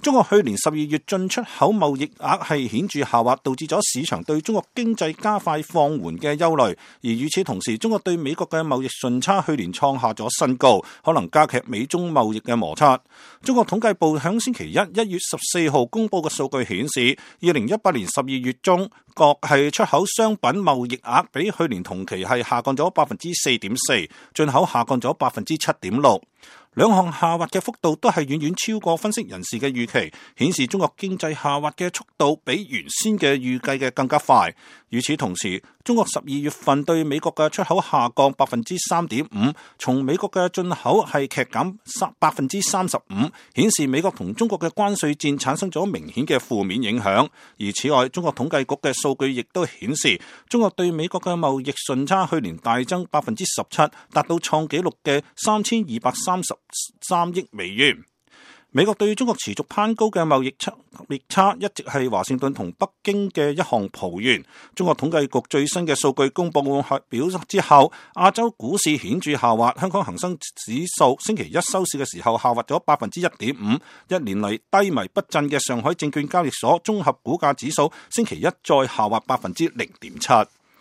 中國去年12月進出口貿易額係顯著下滑，導致咗市場對中國經濟加快放緩嘅憂慮。而與此同時，中國對美國嘅貿易順差去年創下咗新高，可能加劇美中貿易嘅摩擦。中國統計部響星期一1月14號公佈嘅數據顯示，2018年12月中國係出口商品貿易額比去年同期係下降咗4.4%，進口下降咗7.6%。兩項下滑嘅幅度都係遠遠超過分析人士嘅預期，顯示中國經濟下滑嘅速度比原先嘅預計嘅更加快。與此同時，中國12月份對美國嘅出口下降3.5%，從美國嘅進口係劇減35%，顯示美國同中國嘅關稅戰產生咗明顯嘅負面影響。而此外，中國統計局嘅數據亦都顯示，中國對美國嘅貿易順差去年大增17%，達到創紀錄嘅3233億美元。美國對中國持續攀高嘅貿易差一直係華盛頓同北京嘅一項抱怨。中國統計局最新嘅數據公佈表之後，亞洲股市顯著下滑。香港恒生指數星期一收市嘅時候下滑咗1.5%，一年嚟低迷不振嘅上海證券交易所綜合股價指數星期一再下滑0.7%。